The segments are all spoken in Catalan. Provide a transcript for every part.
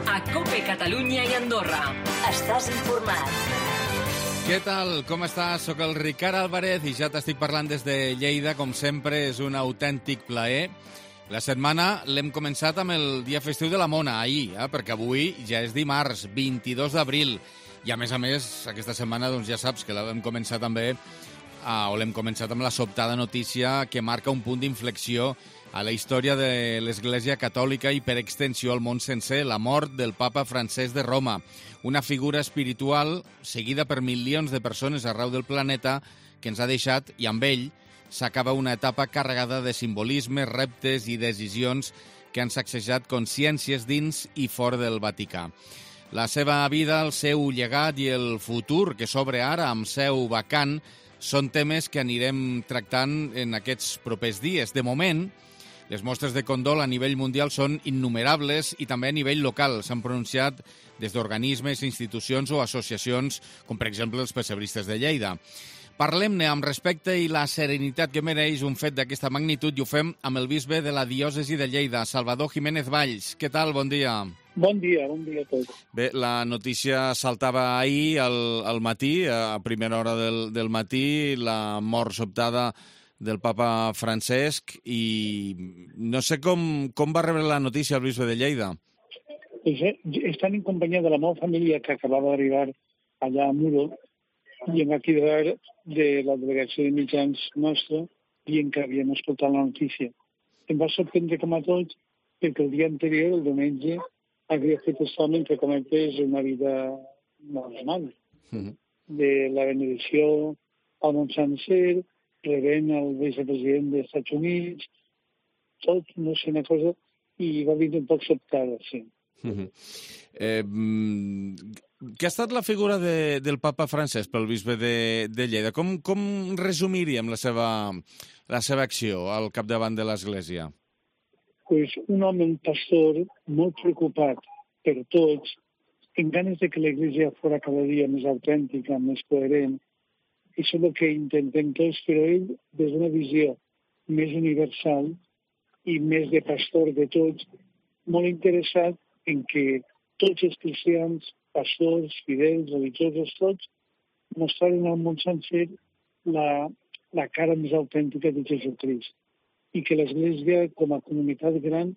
a COPE Catalunya i Andorra. Estàs informat. Què tal? Com estàs? Soc el Ricard Álvarez i ja t'estic parlant des de Lleida. Com sempre, és un autèntic plaer. La setmana l'hem començat amb el dia festiu de la Mona, ahir, perquè avui ja és dimarts, 22 d'abril. I a més, aquesta setmana doncs, ja saps que l'hem començat també, l'hem començat amb la sobtada notícia que marca un punt d'inflexió a la història de l'Església Catòlica i per extensió al món sencer, la mort del papa Francesc de Roma, una figura espiritual seguida per milions de persones arreu del planeta que ens ha deixat, i amb ell s'acaba una etapa carregada de simbolismes, reptes i decisions que han sacsejat consciències dins i fora del Vaticà. La seva vida, el seu llegat i el futur que s'obre ara amb seu vacant són temes que anirem tractant en aquests propers dies. De moment, les mostres de condol a nivell mundial són innumerables i també a nivell local. S'han pronunciat des d'organismes, institucions o associacions, com per exemple els pessebristes de Lleida. Parlem-ne amb respecte i la serenitat que mereix un fet d'aquesta magnitud i ho fem amb el bisbe de la diòcesi de Lleida, Salvador Jiménez Valls. Què tal? Bon dia. Bon dia a tots. Bé, la notícia saltava ahir al matí, a primera hora del matí, la mort sobtada del papa Francesc, i no sé com va rebre la notícia el bisbe de Lleida. Estan en companyia de la meva família que acabava d'arribar allà a Muro i em va cridar de la delegació de mitjans nostra dient que havien escoltat la notícia. Em va sorprendre com a tots perquè el dia anterior, el diumenge, havia fet això mentre comentés una vida normal. De la benedicció al món sencer, rebent el vicepresident dels Estats Units, tot, no sé, una cosa, i va vindre un poc sobtada, sí. Què ha estat la figura del papa Francesc pel bisbe de Lleida? Com resumiríem la seva acció al capdavant de l'Església? Pues un home, un pastor, molt preocupat per tots, en ganes de que l'Església fos cada dia més autèntica, més coherent. Això és el que intentem tots, però ell, des d'una visió més universal i més de pastor de tots, molt interessat en que tots els cristians, pastors, fidels, religiosos, tots, mostraren al món sencer la cara més autèntica de Jesucrist i que l'Església, com a comunitat gran,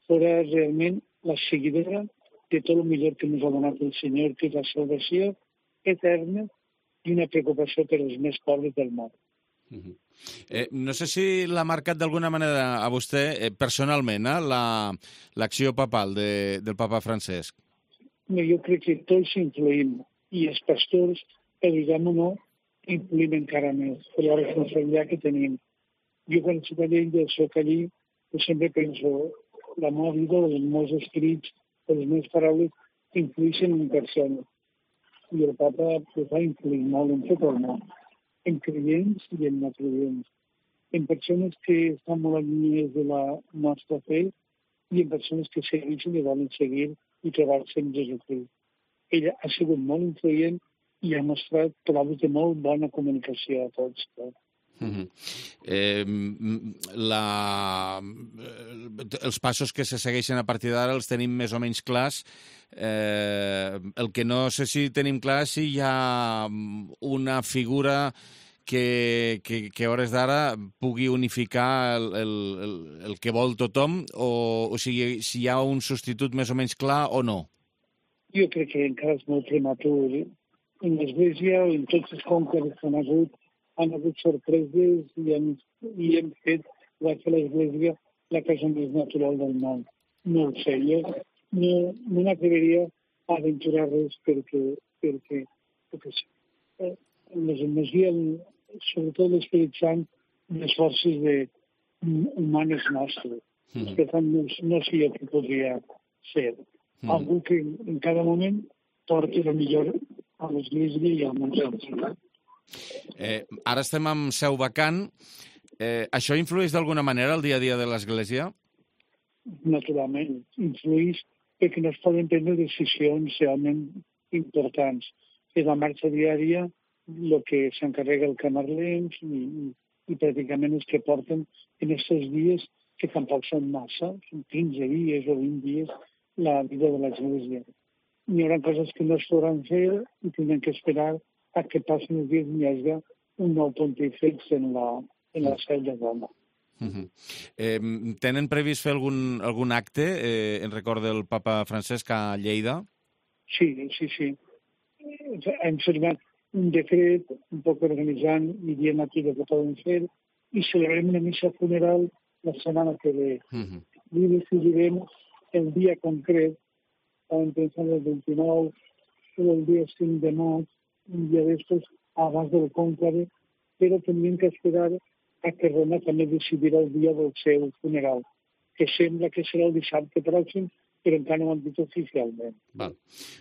fora realment la seguidora de tot el millor que ens ha donat el Senyor, que és la salvació eterna i una preocupació per als més pobres del món. No sé si l'ha marcat d'alguna manera a vostè personalment, l'acció papal del papa Francesc. Jo crec que tots influïm, i els pastors, diguem o no, influïm encara més per la responsabilitat que tenim. Jo quan soc a Lleida, soc allí, sempre penso, la meva vida, els meus escrits, les meves paraules, influïxen en persones. I el papa va influir molt en tot el món, en creients i en no creients, en persones que estan molt allunyades de la nostra fe i en persones que segueixen i volen seguir i trobar-se en Jesucrist. Ella ha sigut molt influent i ha mostrat proves de molt bona comunicació a tots. Els passos que se segueixen a partir d'ara els tenim més o menys clars. El que no sé si tenim clar és si hi ha una figura que a hores d'ara pugui unificar el que vol tothom, o sigui, si hi ha un substitut més o menys clar o no. Jo crec que encara és molt prematur. En l'Església, en tots els conques que han hagut sorpreses i hem fet l'Església la cosa més natural del món. No ho sé, jo no m'atreviria a aventurar res perquè les energies, sobretot l'Esperit Sant, les forces humanes nostres. Per tant, no sé jo què podria ser. Algú que en cada moment porti la millor a l'Església i al món sencer. Ara estem amb seu vacant. Això influeix d'alguna manera al dia a dia de l'Església? Naturalment, influeix perquè no es poden prendre decisions realment importants. És la marxa diària el que s'encarrega el Camarlencs i pràcticament els que porten en aquests dies, que tampoc són massa, són 15 dies o 20 dies, la vida de l'Església. Hi haurà coses que no es podran fer i tindrem que esperar a que passin els dies i hi hagi un nou pontífex en la seu de Roma. Tenen previst fer algun acte en record del papa Francesc a Lleida? Sí. Hem firmat un decret un poc organitzant i dient aquí que poden fer i celebrem una missa funeral la setmana que ve. I decidirem el dia concret, estàvem pensant el 29 o el dia 5 de maig, un dia d'estos abans del conclave, però tindríem que esperar a que Roma també decidirà el dia del seu funeral, que sembla que serà el dissabte pròxim, però encara no ho han dit oficialment. Val.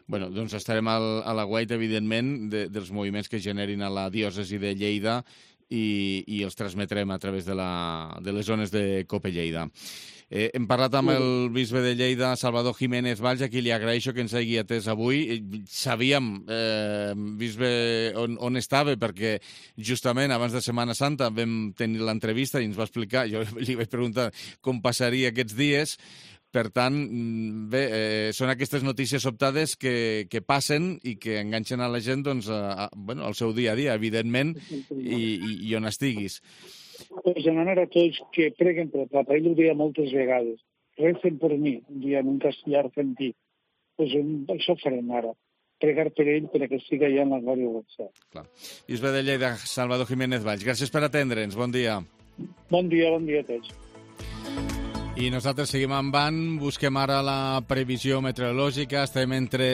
Bueno, doncs estarem a l'aguait, evidentment, dels moviments que generin a la diòcesi de Lleida i els transmetrem a través de les zones de Cope Lleida. Hem parlat amb el bisbe de Lleida, Salvador Jiménez Valls, a qui li agraeixo que ens hagi atès avui. Sabíem, bisbe, on estava, perquè justament abans de Setmana Santa vam tenir l'entrevista i ens va explicar, jo li vaig preguntar com passaria aquests dies. Per tant, bé, són aquestes notícies sobtades que passen i que enganxen a la gent al seu dia a dia, evidentment, i on estiguis. Pues demanar a tots que preguen per el papa. Ell ho deia moltes vegades. Recen per mi, dia en un castellà argentí. Pues això farem ara. Pregar per ell perquè estigui allà en la glòria del cel. Clar. Bisbe de Lleida, Salvador Jiménez Valls, gràcies per atendre'ns. Bon dia. Bon dia a tots. I nosaltres seguim endavant, busquem ara la previsió meteorològica, estem entre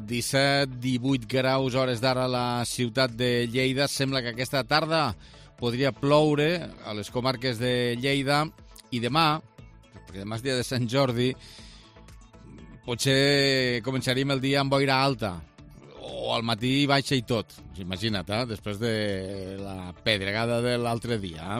17 i 18 graus hores d'ara a la ciutat de Lleida. Sembla que aquesta tarda podria ploure a les comarques de Lleida i demà, perquè demà és dia de Sant Jordi, potser començaríem el dia amb boira alta, o al matí baixa i tot. Imagina't, després de la pedregada de l'altre dia.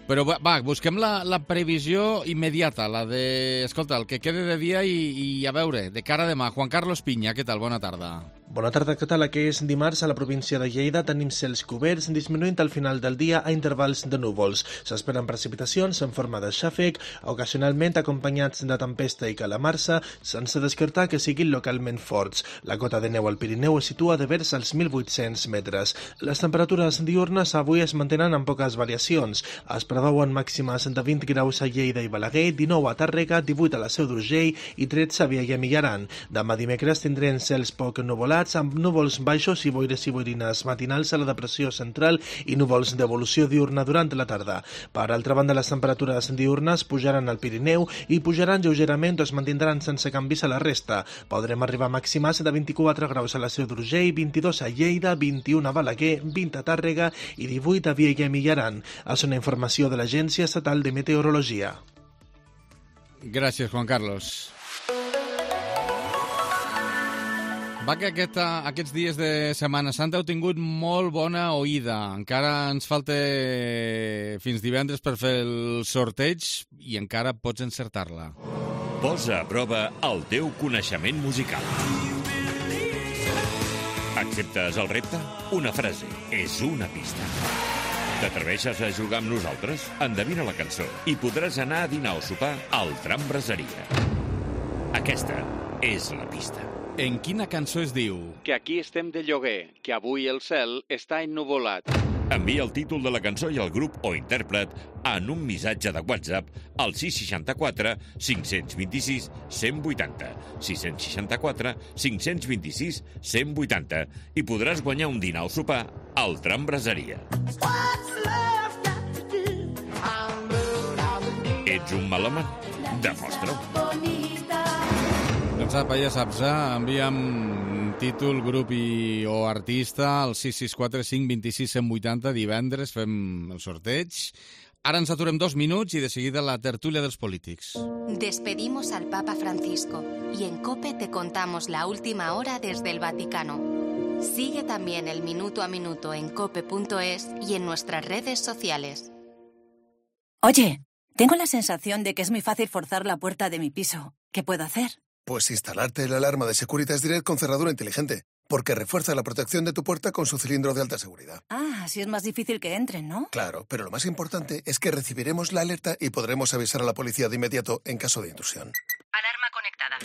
Però va, busquem la previsió immediata, la de, escolta, el que quede de dia i a veure, de cara a demà. Juan Carlos Piña, què tal? Bona tarda. Bona tarda, què tal? Aquest dimarts a la província de Lleida tenim cels coberts, disminuint al final del dia a intervals de núvols. S'esperen precipitacions en forma de xàfec, ocasionalment acompanyats de tempesta i calamarsa, sense descartar que siguin localment forts. La cota de neu al Pirineu es situa de vers als 1.800 metres. Les temperatures diurnes avui es mantenen amb poques variacions. Es preveuen màximes de 20 graus a Lleida i Balaguer, 19 a Tàrrega, 18 a la Seu d'Urgell i 13 a Viella i Millaran. Demà dimecres tindrem cels poc nuvolats, amb núvols baixos i boires i boirines matinals a la depressió central i núvols d'evolució diurna durant la tarda. Per altra banda, les temperatures diurnes pujaran al Pirineu i pujaran lleugerament o es mantindran sense canvis a la resta. Podrem arribar a màximes de 24 graus a la Seu d'Urgell, 22 a Lleida, 21 a Balaguer, 20 a Tàrrega i 18 a Viella i Millaran. És una informació de l'Agència Estatal de Meteorologia. Gràcies, Juan Carlos. Va que aquests dies de Setmana Santa heu tingut molt bona oïda. Encara ens falta fins divendres per fer el sorteig i encara pots encertar-la. Posa a prova el teu coneixement musical. Acceptes el repte? Una frase és una pista. T'atreveixes a jugar amb nosaltres? Endevina la cançó i podràs anar a dinar o sopar al Tram Braseria. Aquesta és la pista. En quina cançó es diu? Que aquí estem de lloguer, que avui el cel està ennuvolat. Envia el títol de la cançó i el grup o intèrpret en un missatge de WhatsApp al 664 526 180, 664 526 180 i podràs guanyar un dinar o sopar al Tram Braseria. Ets un melòman? Demostra-ho. Doncs apa, ja saps, envia'm títol, grup o artista al 664 526 180. Divendres fem el sorteig. Ara ens aturem 2 minuts i de seguida la tertúlia dels polítics. Despedimos al Papa Francisco y en COPE te contamos la última hora desde el Vaticano. Sigue también el minuto a minuto en cope.es y en nuestras redes sociales. Oye, tengo la sensación de que es muy fácil forzar la puerta de mi piso. ¿Qué puedo hacer? Pues instalarte la alarma de Securitas Direct con cerradura inteligente, porque refuerza la protección de tu puerta con su cilindro de alta seguridad. Ah, así es más difícil que entren, ¿no? Claro, pero lo más importante es que recibiremos la alerta y podremos avisar a la policía de inmediato en caso de intrusión. Alarma conectada.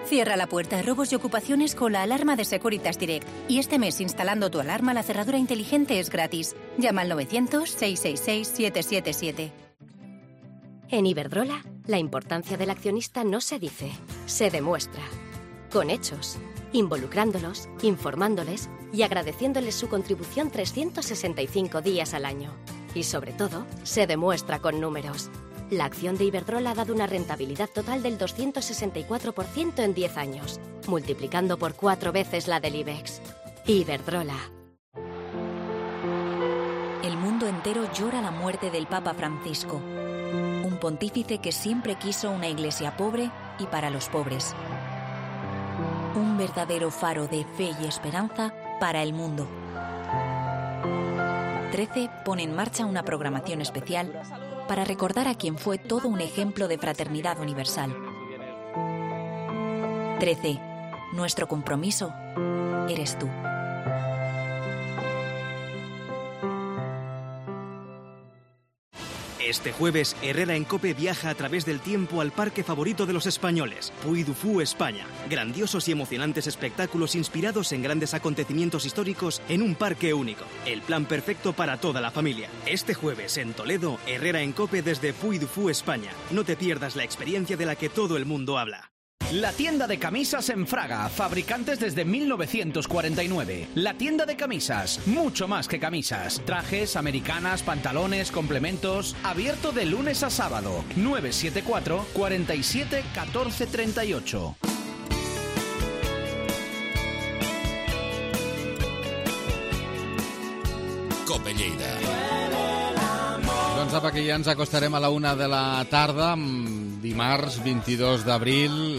Cierra la puerta a robos y ocupaciones con la alarma de Securitas Direct. Y este mes, instalando tu alarma, la cerradura inteligente es gratis. Llama al 900-666-777. En Iberdrola, la importancia del accionista no se dice, se demuestra. Con hechos, involucrándolos, informándoles y agradeciéndoles su contribución 365 días al año. Y sobre todo, se demuestra con números. La acción de Iberdrola ha dado una rentabilidad total del 264% en 10 años, multiplicando por 4 veces la del IBEX. Iberdrola. El mundo entero llora la muerte del Papa Francisco, un pontífice que siempre quiso una iglesia pobre y para los pobres. Un verdadero faro de fe y esperanza para el mundo. 13 pone en marcha una programación especial para recordar a quien fue todo un ejemplo de fraternidad universal. 13. Nuestro compromiso eres tú. Este jueves, Herrera en COPE viaja a través del tiempo al parque favorito de los españoles, Puy du Fou, España. Grandiosos y emocionantes espectáculos inspirados en grandes acontecimientos históricos en un parque único. El plan perfecto para toda la familia. Este jueves, en Toledo, Herrera en COPE desde Puy du Fou, España. No te pierdas la experiencia de la que todo el mundo habla. La tienda de camisas en Fraga, fabricantes desde 1949. La tienda de camisas, mucho más que camisas. Trajes, americanas, pantalones, complementos. Abierto de lunes a sábado. 974 47 14 38. COPE Lleida. Doncs apa, que ja ens acostarem a la 1 de la tarda, dimarts 22 d'abril,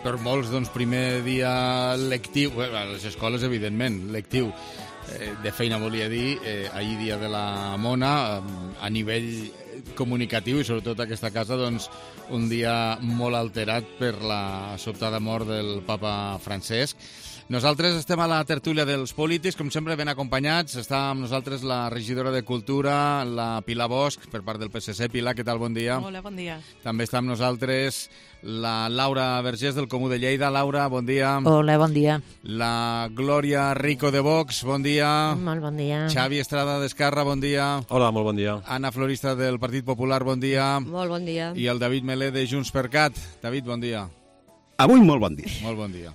per molts, doncs, primer dia lectiu, a les escoles, evidentment, lectiu, de feina volia dir, ahir dia de la Mona, a nivell comunicatiu i sobretot aquesta casa, doncs, un dia molt alterat per la sobtada mort del papa Francesc. Nosaltres estem a la tertúlia dels polítics, com sempre ben acompanyats. Està amb nosaltres la regidora de Cultura, la Pilar Bosch, per part del PSC. Pilar, què tal? Bon dia. Hola, bon dia. També està amb nosaltres la Laura Vergés, del Comú de Lleida. Laura, bon dia. Hola, bon dia. La Glòria Rico, de Vox, bon dia. Molt bon dia. Xavi Estrada, d'Esquerra, bon dia. Hola, molt bon dia. Anna Florista, del Partit Popular, bon dia. Molt bon dia. I el David Melé, de Junts per Cat. David, bon dia. Avui molt bon dia. Molt bon dia.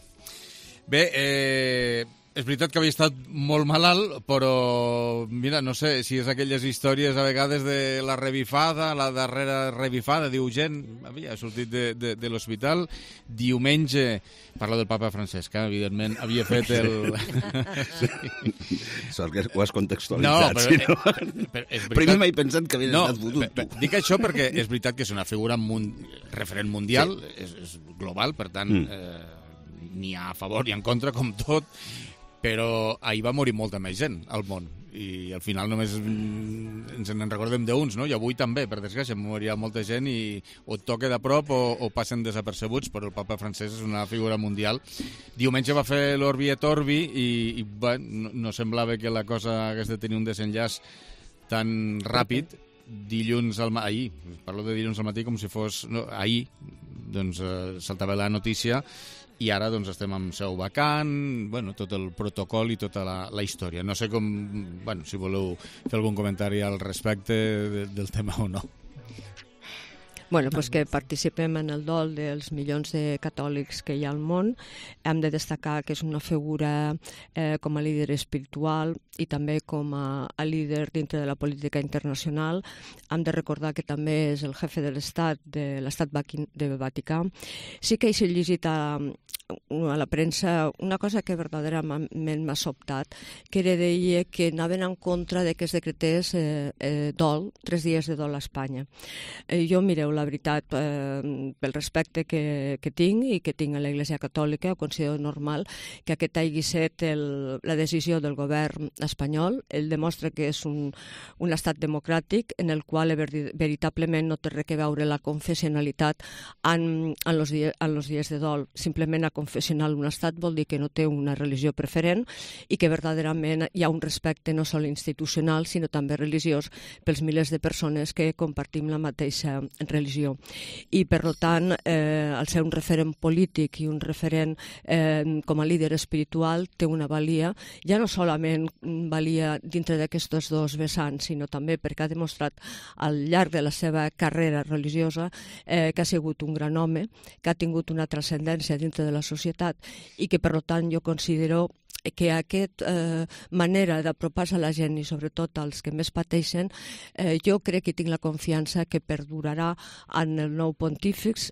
Bé, és veritat que havia estat molt malalt, però, mira, no sé si és aquelles històries a vegades de la revifada, la darrera revifada, diu gent, havia sortit de l'hospital. Diumenge, parlo del papa Francesc, evidentment, havia fet el... Sort que ho has contextualitzat. No, però primer m'he pensat que havies estat fotut, tu. Dic això perquè és veritat que és una figura referent mundial, és global, per tant... n'hi ha a favor i en contra, com tot, però ahir va morir molta més gent al món, i al final només ens en recordem d'uns, no? I avui també, per desgràcia, morirà molta gent i o et toca de prop o passen desapercebuts, però el papa Francesc és una figura mundial. Diumenge va fer l'Orbi et Orbi i bueno, no semblava que la cosa hagués de tenir un desenllaç tan ràpid. Dilluns ahir, parlo de dilluns al matí com si fos... No, ahir, doncs, saltava la notícia i ara doncs estem amb seu vacant, bueno, tot el protocol i tota la història. No sé com, bueno, si voleu fer algun comentari al respecte del tema o no. Bueno, pues que participem en el dol dels milions de catòlics que hi ha al món. Hem de destacar que és una figura com a líder espiritual i també com a líder dintre de la política internacional. Hem de recordar que també és el jefe de l'Estat, de l'Estat de Vaticà. Sí que he llegit a la premsa una cosa que verdaderament m'ha sobtat, que deia que anaven en contra de que es decretés dol, 3 dies de dol a Espanya. Jo, mireu, la veritat, pel respecte que tinc i que tinc a l'Església Catòlica, ho considero normal que aquest hagi estat la decisió del govern espanyol. Ell demostra que és un estat democràtic en el qual veritablement no té res a veure la confessionalitat en els dies de dol. Simplement confessional un estat vol dir que no té una religió preferent i que verdaderament hi ha un respecte no sols institucional sinó també religiós pels milers de persones que compartim la mateixa religió. religió. I, per tant, el ser un referent polític i un referent com a líder espiritual té una valia, ja no solament valia dintre d'aquests dos vessants, sinó també perquè ha demostrat al llarg de la seva carrera religiosa que ha sigut un gran home, que ha tingut una transcendència dintre de la societat i que, per tant, jo considero que aquesta manera d'apropar-se a la gent i sobretot als que més pateixen, jo crec que tinc la confiança que perdurarà en el nou pontífex.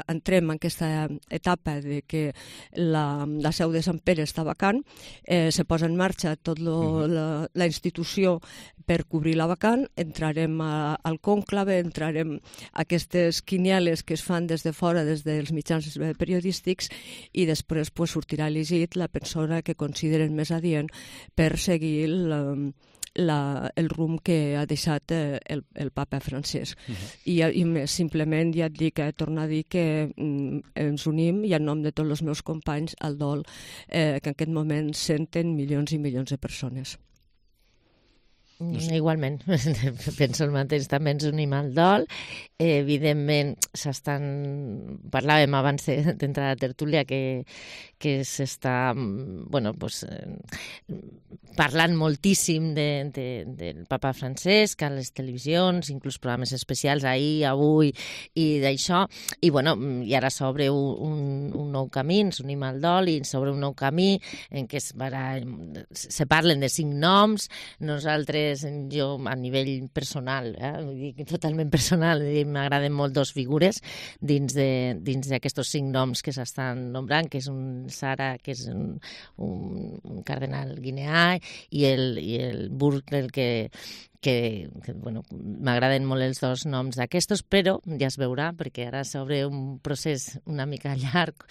Entrem en aquesta etapa de que la seu de Sant Pere està vacant, se posa en marxa tota la institució per cobrir la vacant, entrarem al cònclave, entrarem a aquestes quinieles que es fan des de fora, des dels mitjans periodístics, i després sortirà elegit la persona que consideren més adient per seguir el rumb que ha deixat el papa Francesc. I més, simplement ja et dic, torno a dir que ens unim, i en nom de tots els meus companys, al dol que en aquest moment senten milions i milions de persones. Igualment, penso el mateix, també ens unim al dol. Evidentment, parlàvem abans d'entrar a la tertúlia que s'està parlant moltíssim del papa Francesc a les televisions, inclús programes especials ahir, avui, i d'això. I ara s'obre un nou camí, ens unim al dol i s'obre un nou camí en què se parlen de 5 noms. Nosaltres, jo a nivell personal, totalment personal, m'agraden molt 2 figures dins d'aquests 5 noms que s'estan nombrant, que és un Sara, que és un cardenal guineà, i el Burke, que m'agraden molt els 2 noms d'aquestos, però ja es veurà, perquè ara s'obre un procés una mica llarg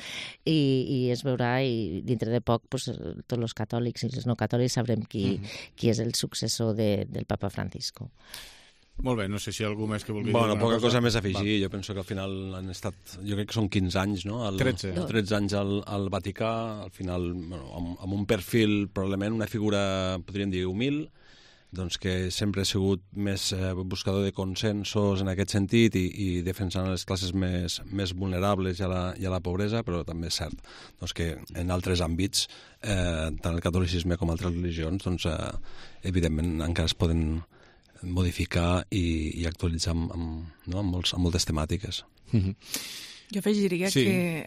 i es veurà, i dintre de poc tots els catòlics i els no catòlics sabrem qui és el successor del papa Francisco. Molt bé, no sé si algú més que vulgui dir alguna cosa. Poca cosa més a afegir. Jo penso que al final han estat, jo crec que són 15 anys, no? 13 anys al Vaticà, al final, amb un perfil, probablement una figura, podríem dir, humil, doncs que sempre ha sigut més buscador de consensos en aquest sentit i defensant les classes més vulnerables i a la pobresa, però també és cert doncs, que en altres àmbits, tant el catolicisme com altres religions, doncs, evidentment encara es poden modificar i actualitzar amb moltes temàtiques. Jo afegiria que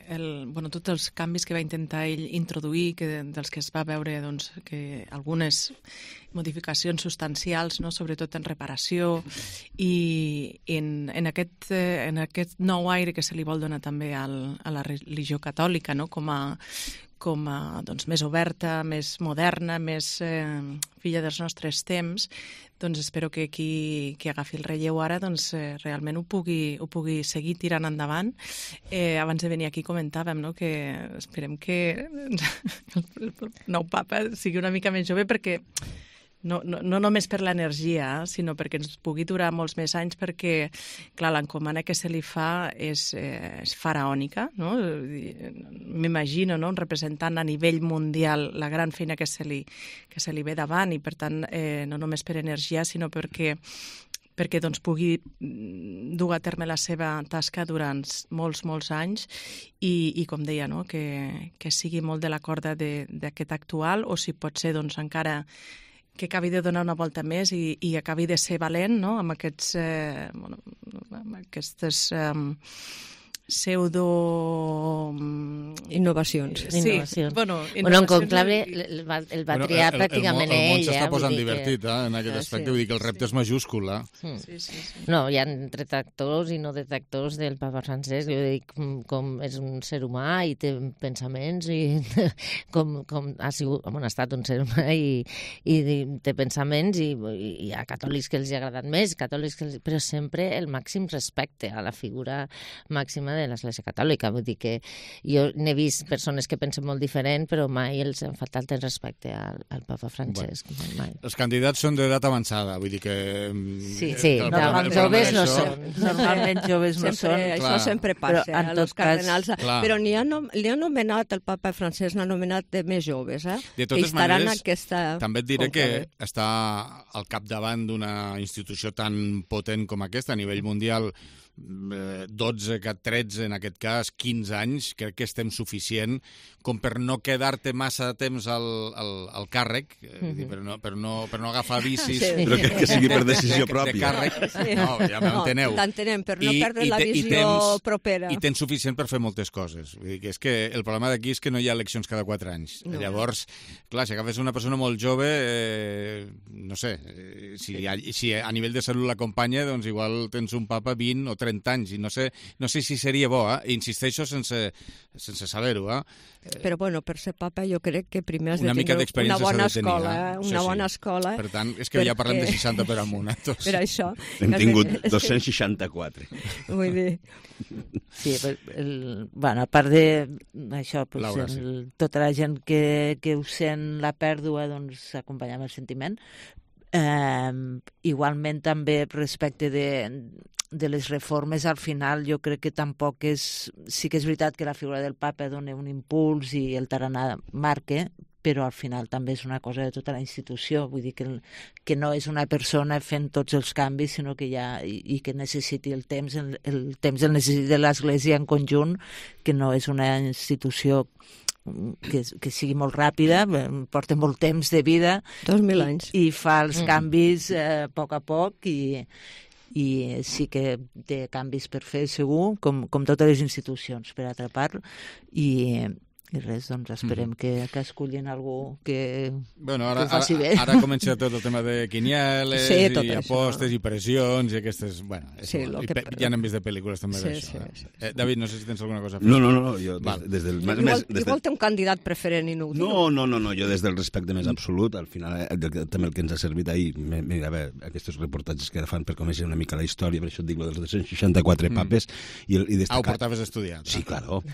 tots els canvis que va intentar ell introduir, dels que es va veure que algunes modificacions substancials, sobretot en reparació, i en aquest nou aire que se li vol donar també a la religió catòlica, com a més oberta, més moderna, més filla dels nostres temps, doncs espero que qui agafi el relleu ara realment ho pugui seguir tirant endavant. Abans de venir aquí comentàvem que esperem que el nou papa sigui una mica més jove, perquè no només per l'energia, sinó perquè ens pugui durar molts més anys, perquè, clar, l'encomana que se li fa és faraònica, no? M'imagino, un representant a nivell mundial la gran feina que se li ve davant, i per tant, no només per energia, sinó perquè pugui dur a terme la seva tasca durant molts anys i com deia, que sigui molt de la corda d'aquest actual, o si pot ser encara que acabi de donar una volta més i acabi de ser valent, amb aquestes pseudo... Innovacions. En conclave el va triar pràcticament ell. El món s'està posant divertit en aquest aspecte, vull dir que el repte és majúscul. No, hi ha detractors i no detractors del papa Francesc. Jo dic, com és un ser humà i té pensaments, i com ha estat un ser humà i té pensaments, i hi ha catòlics que els ha agradat més, però sempre el màxim respecte a la figura màxima de l'Església Catòlica. Vull dir que jo n'he vist persones que pensen molt diferent, però mai els han faltat el respecte al papa Francesc. Mai. Els candidats són d'edat avançada, vull dir que... Sí, joves no són. Normalment joves no són. Això sempre passa, els cardenals. Però li ha nomenat, el papa Francesc n'ha nomenat de més joves, De totes maneres, també et diré que està al capdavant d'una institució tan potent com aquesta a nivell mundial, 12, 13, en aquest cas, 15 anys, crec que estem suficient com per no quedar-te massa temps al càrrec, per no agafar vicis... Però que sigui per decisió pròpia. De càrrec. No, ja m'enteneu. T'entenem, per no perdre la visió propera. I tens suficient per fer moltes coses. Vull dir que és que el problema d'aquí és que no hi ha eleccions cada 4 anys. No. Llavors, clar, si agafes una persona molt jove, no sé, si a nivell de salut l'acompanya, doncs igual tens un papa 20 o 30 anys, i no sé si seria bo, insisteixo sense saber-ho, Però, bueno, per ser papa jo crec que primer has de tenir una bona escola, una bona escola. Per tant, és que ja parlem de 60 per amunt, tots. Per això. Hem tingut 264. Vull dir... Sí, bueno, a part d'això, tota la gent que ho sent la pèrdua, doncs s'acompanya amb el sentiment. Igualment també respecte de les reformes, al final jo crec que tampoc sí que és veritat que la figura del papa dona un impuls i el tarannà marca, però al final també és una cosa de tota la institució, vull dir que no és una persona fent tots els canvis, sinó que i que necessiti el temps el necessita l'Església en conjunt, que no és una institució que sigui molt ràpida, porta molt temps de vida 2000 anys i fa els canvis a poc i sí que té canvis per fer segur, com totes les institucions, per altra part, i res, doncs esperem que escollin algú que ho faci bé. Ara comença tot el tema de quinieles i apostes i pressions i aquestes... Bueno, ja n'hem vist de pel·lícules també d'això. David, no sé si tens alguna cosa a fer. No, jo des del... Igual té un candidat preferent i no ho diu. No, jo des del respecte més absolut, al final també el que ens ha servit ahir, mira, a veure, aquests reportatges que fan per conèixer una mica la història, per això et dic, dels 264 papes, i destacar... ho portaves estudiat. Sí, claro.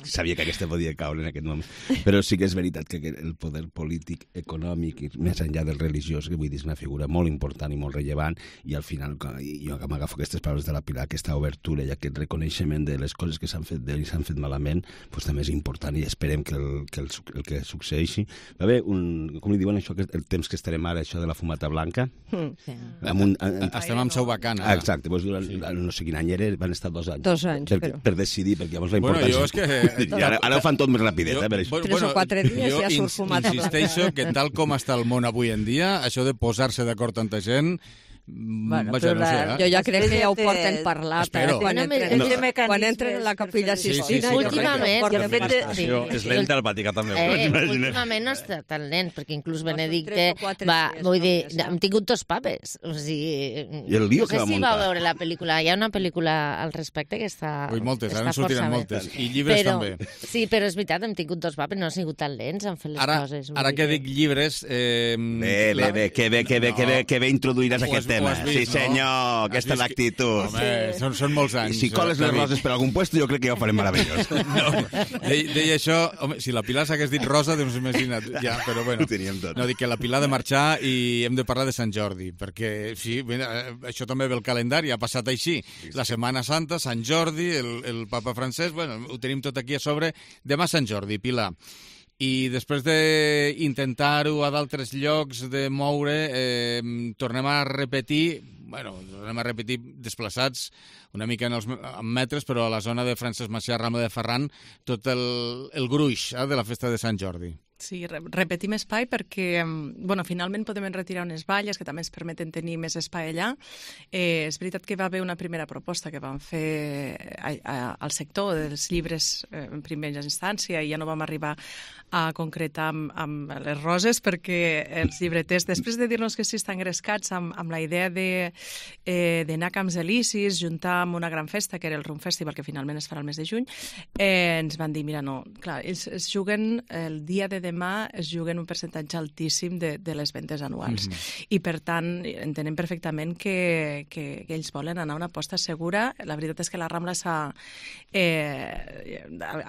Sabia que aquesta podia caure en aquest moment. Però sí que és veritat que el poder polític, econòmic, i més enllà del religiós, que vull dir, és una figura molt important i molt rellevant, i al final, jo m'agafo aquestes paraules de la Pilar, aquesta obertura i aquest reconeixement de les coses que s'han fet bé i s'han fet malament, doncs també és important i esperem que el que succeeixi. Va haver com li diuen això, el temps que estarem ara, això de la fumata blanca? Estem amb seu vacant. Exacte, no sé quin any era, van estar 2 anys. 2 anys, però... Per decidir, perquè llavors la importància... Ara ho fan tot més rapidet, per això. 3 o 4 dies ja surt fumata blanca. Insisteixo que tal com està el món avui en dia, això de posar-se d'acord tanta gent... Bueno, jo ja crec que ja ho porten parlat quan entren a la Capella Sistina. Últimament és lenta al Vaticà també. Últimament no està tan lent, perquè inclús Benedicte vull dir, hem tingut 2 papes, o sigui, no sé si va veure la pel·lícula, hi ha una pel·lícula al respecte que està moltes, ara en sortiran moltes, i llibres també. Sí, però és veritat, hem tingut 2 papes, no han sigut tan lents, han fet les coses. Ara que dic llibres... Que bé introduiràs aquest tema. Sí, senyor, aquesta és l'actitud. Home, són molts anys. Si coles les roses per algun puesto, jo crec que ja ho farem meravellós. Deia això, home, si la Pilar s'hagués dit rosa, doncs imagina't, ja, però bueno. No, dic que la Pilar ha de marxar i hem de parlar de Sant Jordi, perquè, sí, això també ve el calendari, ha passat així. La Setmana Santa, Sant Jordi, el papa Francesc, bueno, ho tenim tot aquí a sobre. Demà Sant Jordi, Pilar. I després d'intentar-ho a d'altres llocs, de moure, tornem a repetir desplaçats una mica en metres, però a la zona de Francesc Macià, Rambla de Ferran, tot el gruix de la festa de Sant Jordi. Sí, repetim espai perquè finalment podem retirar unes valles que també ens permeten tenir més espai allà. És veritat que va haver una primera proposta que van fer al sector dels llibres en primera instància i ja no vam arribar a concretar amb les roses perquè els llibreters, després de dir-nos que sí estan engrescats amb la idea d'anar a Camps Elisis, juntar amb una gran festa, que era el Rum Festival, que finalment es farà el mes de juny, ens van dir, mira, no, clar, ells es juguen el dia de demà, es juguen un percentatge altíssim de les ventes anuals. I, per tant, entenem perfectament que ells volen anar a una aposta segura. La veritat és que la Rambla s'ha...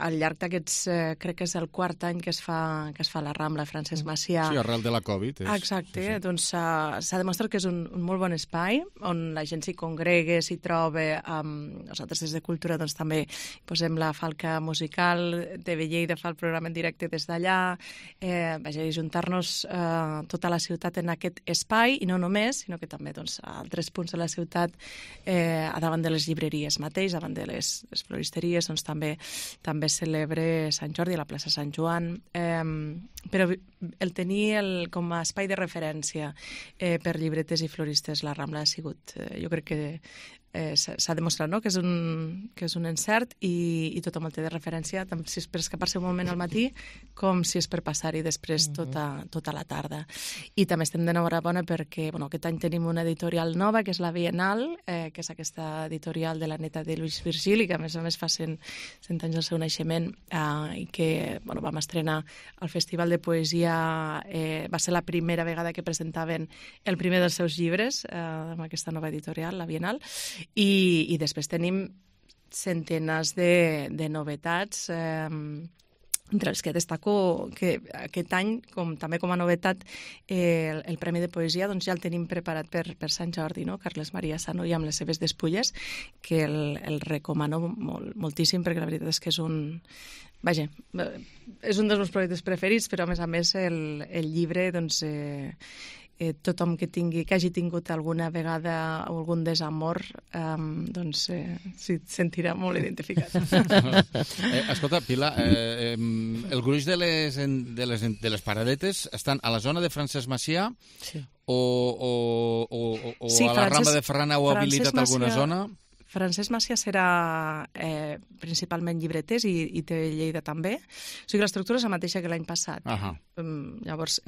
al llarg d'aquests... crec que és el 4 any que es fa la Rambla, Francesc Macià. Sí, arrel de la Covid. Exacte. Sí. Doncs s'ha demostrat que és un molt bon espai on la gent s'hi congrega, s'hi troba. Nosaltres des de Cultura doncs també posem la falca musical, TV Lleida fa el programa en directe des d'allà. juntar-nos tota la ciutat en aquest espai, i no només, sinó que també a altres punts de la ciutat, a davant de les llibreries mateix, davant de les floristeries, també celebre Sant Jordi a la plaça Sant Joan, però el tenir com a espai de referència per llibreters i floristes la Rambla ha sigut, jo crec que s'ha demostrat que és un encert, i tothom el té de referència, tant si és per escapar-se un moment al matí com si és per passar-hi després tota la tarda. I també estem d'enhorabona perquè aquest any tenim una editorial nova, que és la Bienal, que és aquesta editorial de la neta de Lluís Virgili, que a més fa 100 anys del seu naixement, i que vam estrenar al Festival de Poesia. Va ser la primera vegada que presentaven el primer dels seus llibres amb aquesta nova editorial, la Bienal. I després tenim centenars de novetats, entre els que destaco que aquest any, també com a novetat, el Premi de Poesia ja el tenim preparat per Sant Jordi, Carles Maria Sanoy amb les seves despulles, que el recomano moltíssim, perquè la veritat és que és un dels meus projectes preferits, però a més el llibre, tothom que hagi tingut alguna vegada algun desamor, s'hi sentirà molt identificat. Escolta, Pilar, el gruix de les paradetes estan a la zona de Francesc Macià, o a la Rambla de Ferran heu habilitat alguna zona? Francesc Macià serà principalment llibreters, i TV Lleida també. O sigui que l'estructura és la mateixa que l'any passat. Llavors,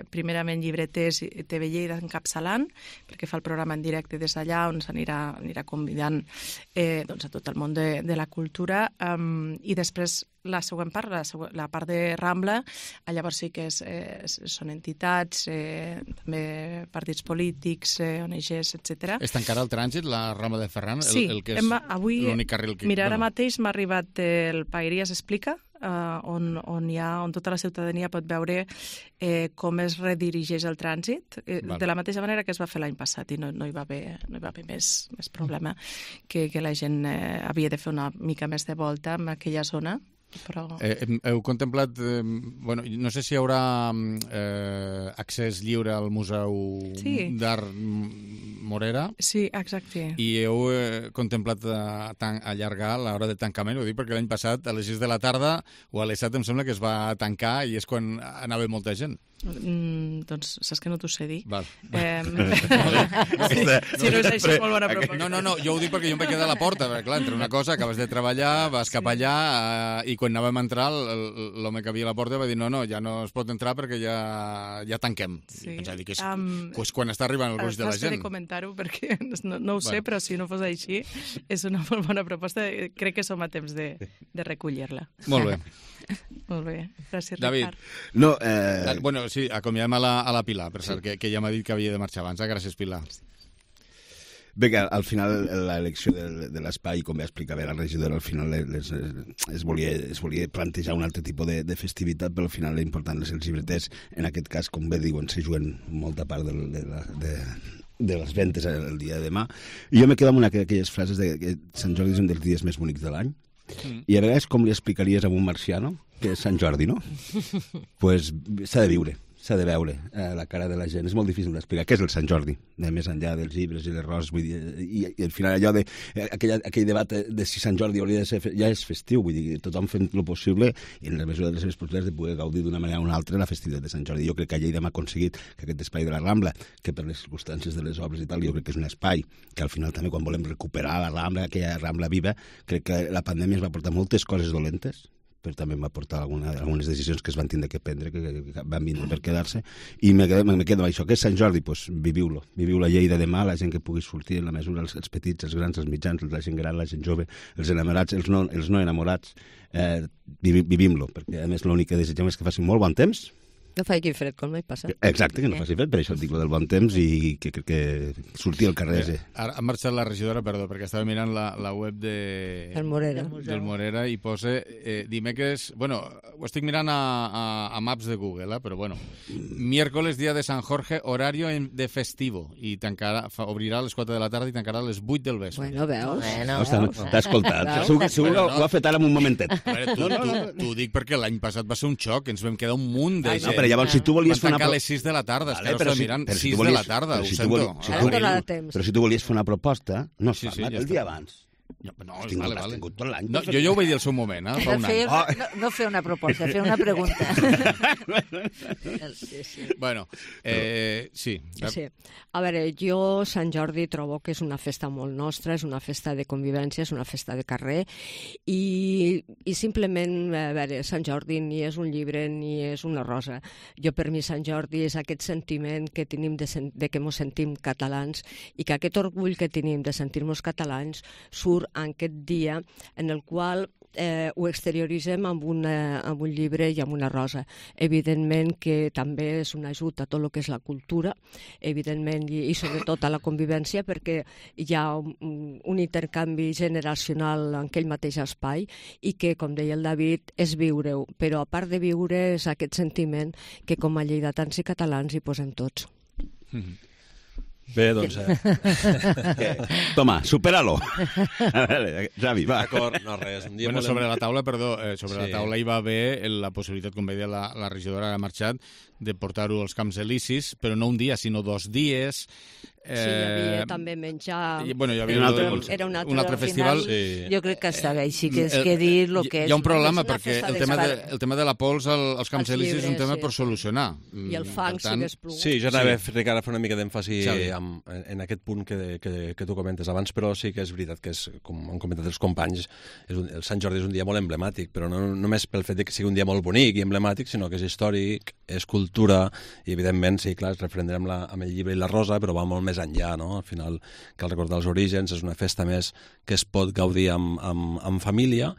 primerament llibreters i TV Lleida encapçalant, perquè fa el programa en directe des d'allà, on s'anirà convidant a tot el món de la cultura, i després la següent part, la part de Rambla, llavors sí que són entitats, també partits polítics, ONGs, etc. És tancarà el trànsit, la Rambla de Ferran? Sí, avui, mira, ara mateix m'ha arribat el Paeries Explica, on tota la ciutadania pot veure com es redirigeix el trànsit, de la mateixa manera que es va fer l'any passat, i no hi va haver més problema, que la gent havia de fer una mica més de volta en aquella zona. Heu contemplat, no sé si hi haurà accés lliure al Museu d'Art Morera. Sí, exacte. I heu contemplat allargar l'hora de tancament, ho dic perquè l'any passat a les 6 de la tarda o a les 7 em sembla que es va tancar, i és quan anava molta gent. Doncs saps que no t'ho sé dir. Si no és així, molt bona proposta. No, jo ho dic perquè jo em vaig quedar a la porta, perquè clar, entre una cosa, acabes de treballar, vas cap allà, i quan anàvem a entrar, l'home que havia a la porta va dir no, ja no es pot entrar perquè ja tanquem. Pensava dir que és quan està arribant el gruix de la gent. Has de comentar-ho perquè no ho sé, però si no fos així, és una molt bona proposta. Crec que som a temps de recollir-la. Molt bé. Molt bé, gràcies, David. Ricard. Sí, acomiadem a la Pilar, per cert, que ja m'ha dit que havia de marxar abans. Gràcies, Pilar. Bé, que al final l'elecció de l'espai, com va explicar bé la regidora, al final es volia plantejar un altre tipus de festivitat, però al final l'important és els llibreters. En aquest cas, com bé diuen, se juguen molta part de les ventes el dia de demà. I jo me quedo amb una d'aquelles frases que Sant Jordi és un dels dies més bonics de l'any. I a vegades com li explicaries a un marciano que és Sant Jordi, no? Pues s'ha de viure, s'ha de veure la cara de la gent. És molt difícil d'explicar què és el Sant Jordi, més enllà dels llibres i les roses, vull dir, i al final allò aquell debat de si Sant Jordi hauria de ser ja és festiu, vull dir, tothom fent el possible i en la mesura de les seves possibilitats de poder gaudir d'una manera o una altra la festivitat de Sant Jordi. Jo crec que a Lleida hem aconseguit que aquest espai de la Rambla, que per les circumstàncies de les obres i tal, jo crec que és un espai que al final també quan volem recuperar la Rambla, aquella Rambla viva, crec que la pandèmia ens va portar moltes coses dolentes, però també em va portar algunes decisions que es van tindre que prendre, que van vindre per quedar-se, i me quedo amb això. Què és Sant Jordi? Doncs viviu-lo. Viviu la Lleida demà, la gent que pugui sortir en la mesura, els petits, els grans, els mitjans, la gent gran, la gent jove, els enamorats, els no enamorats, vivim-lo, perquè a més l'únic que desitgem és que faci molt bon temps, No faci fred, com l'any passat. Exacte, que no faci fred, per això et dic lo del bon temps i que crec que sortir al carrer... Ara ha marxat la regidora, perdó, perquè estava mirant la web del Morera i posa dimecres... Bueno, ho estic mirant a Maps de Google, però bueno. Miércoles, dia de Sant Jorge, horario de festivo. I obrirà a les 4 de la tarda i tancarà a les 8 del vespre. Bueno, veus? T'ha escoltat. Segur que ho ha fet ara en un momentet. T'ho dic perquè l'any passat va ser un xoc, ens vam quedar un munt de gent. Llavors, si tu volies fer una... Van tancar a les 6 de la tarda, és que ara estava mirant 6 de la tarda, ho sento. Però si tu volies fer una proposta, no es fa el dia abans. No, vale. No, jo ja ho vaig dir al seu moment, fa un any. No fer una proposta, fer una pregunta. Bueno, sí. A veure, jo Sant Jordi trobo que és una festa molt nostra, és una festa de convivència, és una festa de carrer, i simplement, a veure, Sant Jordi ni és un llibre ni és una rosa. Jo, per mi, Sant Jordi és aquest sentiment que tenim de que ens sentim catalans i que aquest orgull que tenim de sentir-nos catalans surt en aquest dia en el qual ho exterioritzem amb un llibre i amb una rosa. Evidentment que també és un ajut a tot el que és la cultura, evidentment, i sobretot a la convivència, perquè hi ha un intercanvi generacional en aquell mateix espai i que, com deia el David, és viure-ho. Però a part de viure és aquest sentiment que com a lleidatans i catalans hi posem tots. Bé, doncs... Toma, supera-lo. A veure, Xavi, va. D'acord, no res. Bueno, sobre la taula, perdó, la taula hi va haver la possibilitat, com veia la regidora que ha marxat, de portar-ho als Camps Elisis, però no un dia, sinó 2 dies. Sí, hi havia també menjar... Bueno, hi havia era un altre festival. Jo crec que està bé, així que es quedi el que és. Hi ha un problema, perquè el tema de la pols als Camps Elisis és un tema per solucionar. I el fang, si hagués plogut. Sí, jo anava a fer una mica d'èmfasi en aquest punt que tu comentes abans, però sí que és veritat que, com han comentat els companys, el Sant Jordi és un dia molt emblemàtic, però no només pel fet que sigui un dia molt bonic i emblemàtic, sinó que és històric, és cultura, i evidentment, sí, clar, es referendrem amb el llibre i la rosa, però va molt més enllà, no? Al final cal recordar els orígens, és una festa més que es pot gaudir amb família,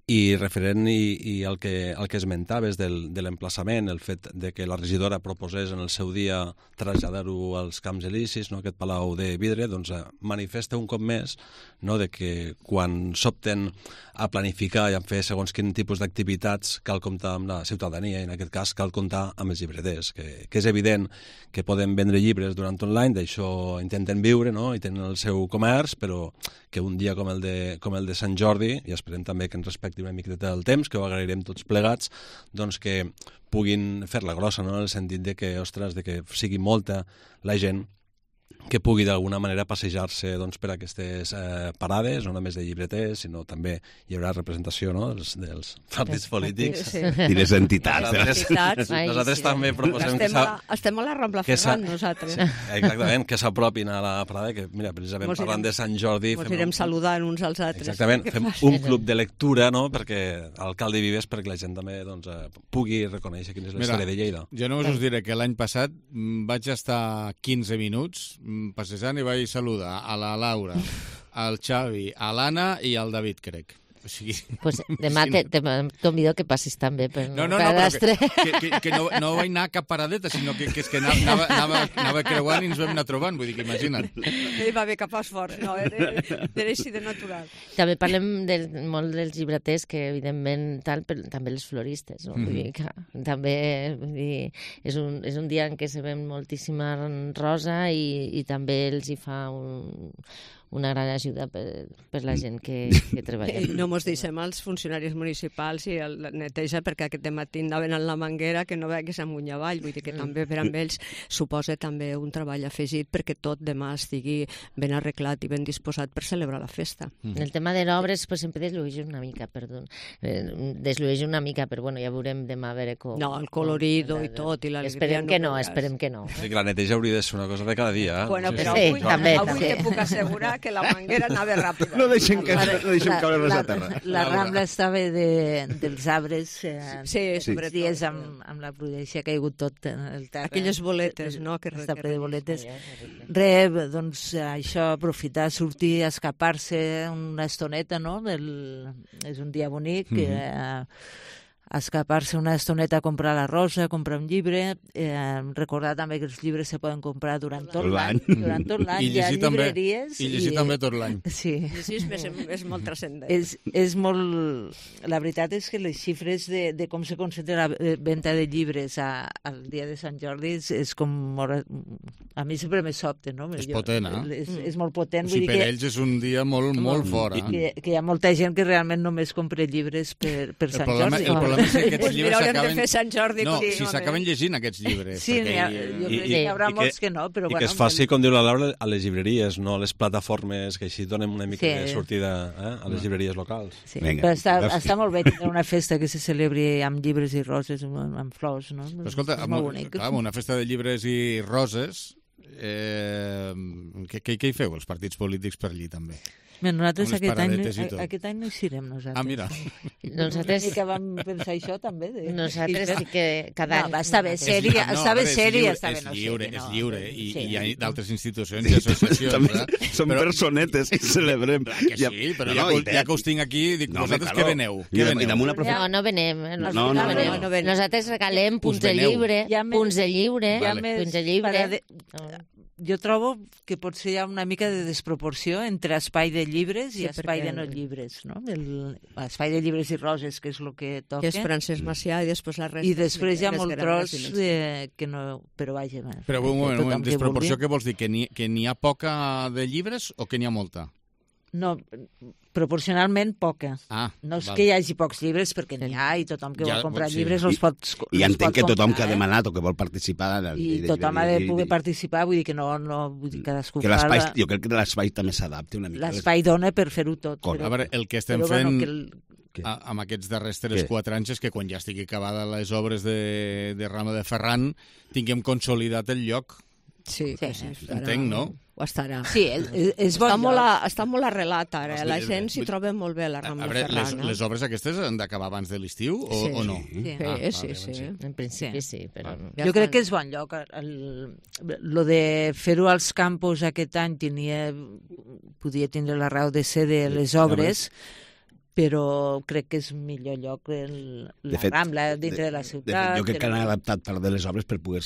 i referent i el que esmentaves de l'emplaçament, el fet de que la regidora proposés en el seu dia traslladar-ho als Camps Elisis, no, aquest palau de vidre, doncs manifesta un cop més, no, de que quan s'opten a planificar i a fer segons quin tipus d'activitats cal comptar amb la ciutadania, i en aquest cas cal comptar amb els llibreters, que és evident que poden vendre llibres durant online, d'això intenten viure, no, i tenen el seu comerç, però que un dia com el de Sant Jordi, i esperem també que ens respecti una miqueta del temps, que ho agrairem tots plegats, doncs que puguin fer-la grossa, no? En el sentit de que, ostres, de que sigui molta la gent que pugui d'alguna manera passejar-se doncs, per aquestes parades, no només de llibreters, sinó també hi haurà representació, no, dels partits polítics i les entitats. Nosaltres també proposem estem a la Rambla Ferran, nosaltres. Exactament, que s'apropin a la parada, que mira, precisament parlant de Sant Jordi... Ens irem saludant uns als altres. Exactament, fem un club de lectura, no?, perquè l'alcalde Vives, perquè la gent també pugui reconèixer quina és la història de Lleida. Jo només us diré que l'any passat vaig estar 15 minuts passejant i vaig saludar a la Laura, al Xavi, a l'Anna i al David, crec. O sigui, pues demà convido que passis també per cadastre. Que no vaig anar a cap paradeta, sinó que és que anava creuant i ens vam anar trobant, vull dir que imagina't. Hi va haver cap esforç, no, era així de natural. També parlem molt dels llibreters, que evidentment però també els floristes, no? Vull dir que també és un dia en què se ven moltíssima rosa i també els hi fa una gran ajuda per la gent que treballa. No mos deixem els funcionaris municipals i el neteja, perquè aquest matí anaven en la manguera que no vegués amunt i avall, vull dir que també per amb ells suposa també un treball afegit perquè tot demà estigui ben arreglat i ben disposat per celebrar la festa. El tema de l'obres pues, sempre deslueix una mica, però bueno, ja veurem demà a veure com... No, el colorido i tot, i l'alegria... Esperem que no. Sí, que la neteja hauria de ser una cosa de cada dia. Bueno, però avui te puc assegurar que la manguera anava ràpida. No deixem caure res a terra. La Rambla estava dels arbres, sobre dies amb la prudència que ha hagut tot el terra. Aquelles boletes, no? Està ple de boletes. Doncs això, aprofitar, sortir, escapar-se una estoneta, no? És un dia bonic, escapar-se una estoneta a comprar la rosa, a comprar un llibre, recordar també que els llibres se poden comprar durant tot l'any. Durant tot l'any I llegir també tot l'any. Sí. Llegir és molt transcendent. És molt... La veritat és que les xifres de com se concentra la venda de llibres al dia de Sant Jordi és com... A mi sempre me sobte, no? És potent, És molt potent. O sigui, per ells és un dia molt fort. Que hi ha molta gent que realment només compra llibres per Sant Jordi. El problema és que aquests llibres s'acaben... de fer Sant Jordi. No, si s'acaben llegint aquests llibres. Sí, jo crec que hi haurà molts que no, però... I que es faci, com diu la Laura, a les llibreries, no a les plataformes, que així donem una mica de sortida a les llibreries locals. Sí, però està molt bé tenir una festa que se celebri amb llibres i roses, amb flors, no? Però escolta, una festa de llibres i roses, què hi feu, els partits polítics per allí, també? Nosaltres aquest any no hi serem, nosaltres. Ah, mira. Nosaltres... I que vam pensar això, també. Nosaltres sí que cada any... No, està bé sèria, està bé sèria, està bé no sèria. És lliure, i hi ha d'altres institucions i associacions. Som personetes i celebrem. Que sí, però ja que us tinc aquí, dic, vosaltres què veneu? No venem. Nosaltres regalem punts de llibre, Jo trobo que potser hi ha una mica de desproporció entre espai de llibres i espai de no llibres, no? Espai de llibres i roses, que és el que toca. Que és Francesc Macià i després la resta. I després hi ha molt tros que no... Però vaja... Però un moment, desproporció què vols dir? Que n'hi ha poca de llibres o que n'hi ha molta? No, proporcionalment poca. No és que hi hagi pocs llibres, perquè n'hi ha, i tothom que vol comprar llibres els pot comprar. I entenc que tothom que ha demanat o que vol participar... I tothom ha de poder participar, vull dir que no vull dir cadascú fa... Jo crec que l'espai també s'adapta una mica. L'espai dona per fer-ho tot. A veure, el que estem fent amb aquests darrers 3-4 anys és que quan ja estigui acabada les obres de Rama de Ferran tinguem consolidat el lloc. Sí. Entenc, no? Ho estarà. Sí, és bon està molt arrelat ara, la gent s'hi troba molt bé la Rambla de Ferran. Les obres aquestes han d'acabar abans de l'estiu o no? Sí. En principi sí, però no. Jo crec que és bon lloc. Lo de fer-ho als campus aquest any podia tindre la raó de ser de les obres, però crec que és millor lloc la Rambla dintre de la ciutat. Jo crec que han adaptat part de les obres per poder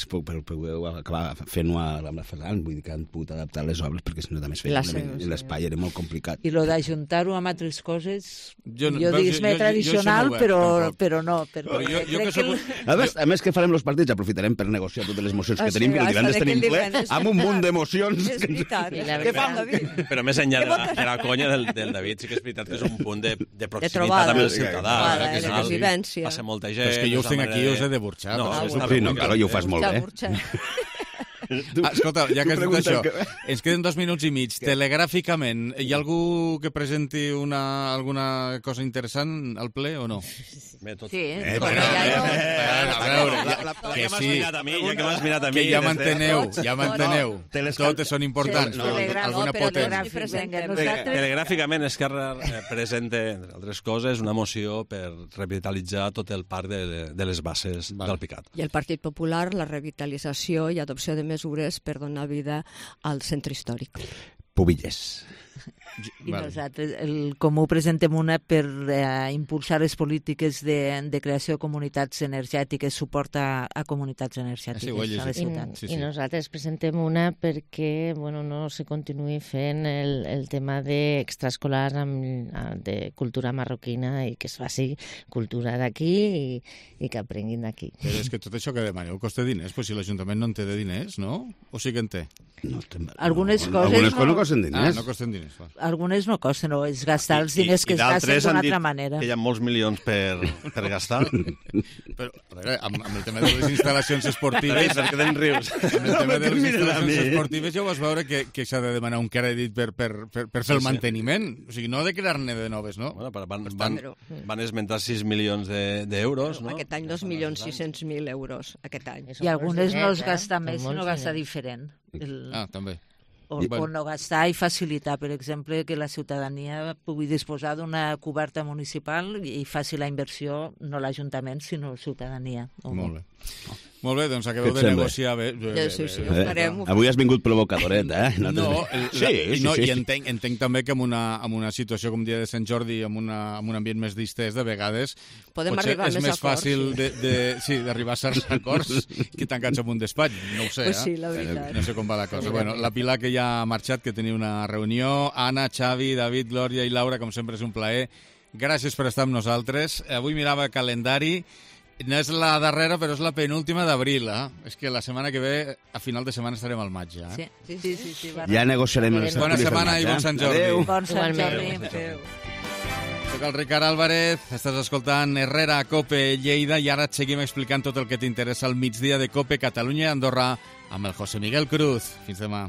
acabar fent-ho a Rambla Ferran, vull dir que han pogut adaptar les obres perquè si no també es feia l'espai, era molt complicat. I lo d'ajuntar-ho amb altres coses, jo diguis més tradicional, però no. A més que farem els partits, aprofitarem per negociar totes les mocions que tenim, que divendres tenim ple, amb un munt d'emocions. És veritat. Què fa el David? Però més enllà de la conya del David, sí que és veritat que és un punt de proximitat amb el ciutadà. De convivència. Passa molta gent. Però és que jo us tinc aquí i us he de burxar. No, clar, jo ho fas molt bé. Escolta, ja que has dit això, ens queden 2 minuts i mig. Telegràficament, hi ha algú que presenti alguna cosa interessant al ple o no? Sí. A veure, que sí. Que m'has mirat a mi. Que ja m'enteneu. Totes són importants. Alguna potent. Telegràficament, Esquerra presenta, entre altres coses, una moció per revitalitzar tot el parc de les Basses d'Alpicat. I el Partit Popular, la revitalització i adopció de mesures per donar vida al centre històric. Pubilles. I nosaltres, el Comú, presentem una per impulsar les polítiques de creació de comunitats energètiques, suport a comunitats energètiques a les ciutats. I nosaltres presentem una perquè no se continuï fent el tema d'extraescolar de cultura marroquina i que es faci cultura d'aquí i que aprenguin d'aquí. Però és que tot això que demaneu costa diners, però si l'Ajuntament no en té de diners, no? O sí que en té? Algunes coses no costen diners. No costen diners. Algunes no costen, no, és gastar els diners que es gasten d'una altra manera. Que hi ha molts milions per gastar. Però, a veure, amb el tema de les instal·lacions esportives... Per què te'n rius? Amb el tema de les instal·lacions esportives ja ho vas veure que s'ha de demanar un crèdit per fer el manteniment. O sigui, no de crear-ne de noves, no? Van esmentar 6 milions d'euros, no? Aquest any 2.600.000 euros, aquest any. I algunes no es gasta més, sinó gasta diferent. També. O no gastar i facilitar, per exemple, que la ciutadania pugui disposar d'una coberta municipal i faci la inversió, no l'Ajuntament, sinó la ciutadania. Molt bé. Molt bé, doncs acabeu de negociar bé. Sí, ho farem. Avui has vingut provocadoret, eh? I entenc també que amb una situació com dia de Sant Jordi, amb un ambient més distès, de vegades podem potser arribar és més fàcil d'arribar a certs acords que tancats en un despatx. No ho sé, pues sí, la veritat. No sé com va la cosa. Bueno, la Pilar, que ja ha marxat, que tenia una reunió. Anna, Xavi, David, Glòria i Laura, com sempre és un plaer. Gràcies per estar amb nosaltres. Avui mirava el calendari. No és la darrera, però és la penúltima d'abril, eh? És que la setmana que ve, a final de setmana, estarem al maig, ja. Sí. Ja negociarem els Bona setmana i bon Sant Jordi. Adéu. Bon Sant Jordi. Soc el Ricard Álvarez, estàs escoltant Herrera a COPE Lleida i ara et seguim explicant tot el que t'interessa al migdia de COPE Catalunya i Andorra amb el José Miguel Cruz. Fins demà.